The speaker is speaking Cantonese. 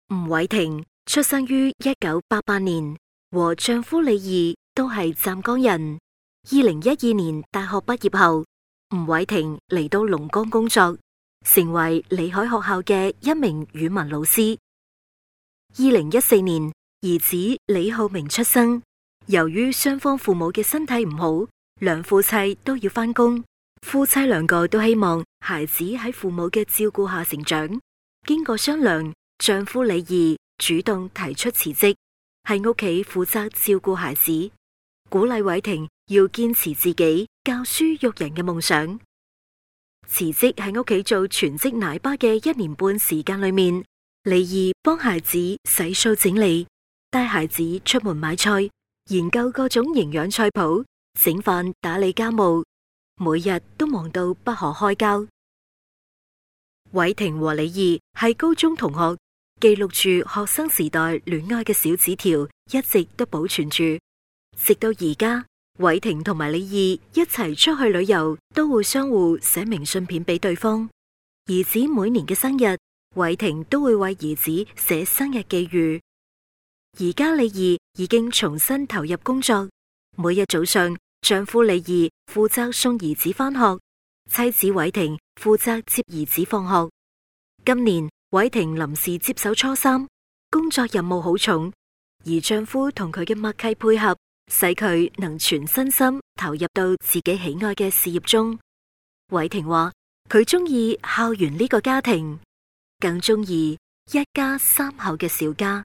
吳偉婷出生於1988年，和丈夫李義都係湛江人。2012年大學畢業後，吳偉婷嚟到龍崗工作，成為李海學校嘅一名語文老師。2014年，兒子李浩明出生。由於雙方父母嘅身體唔好，兩夫妻都要返工，夫妻兩個都希望孩子喺父母嘅照顧下成長。經過商量，丈夫李義主動提出辭職，喺屋企負責照顧孩子，鼓勵偉婷要堅持自己教書育人嘅夢想。辭職喺屋企做全職奶爸嘅1年半時間裏面，李義幫孩子洗掃整理，帶孩子出門買菜，研究各種營養菜譜，整飯打理家務，每日都忙到不可開交。偉婷和李義係高中同學，記錄住學生時代戀愛嘅小紙條一直都保存住，直到而家，偉婷同埋李義一齊出去旅遊都會相互寫明信片俾對方。兒子每年嘅生日，偉婷都會為兒子寫生日寄語。而家李義已經重新投入工作，每日早上丈夫李義負責送兒子返學，妻子偉婷負責接兒子放學。今年偉婷臨時接手初三，工作任務好重，而丈夫同佢嘅默契配合，使佢能全身心投入到自己喜愛嘅事業中。偉婷話佢中意校園呢個家庭，更中意一家3口嘅小家。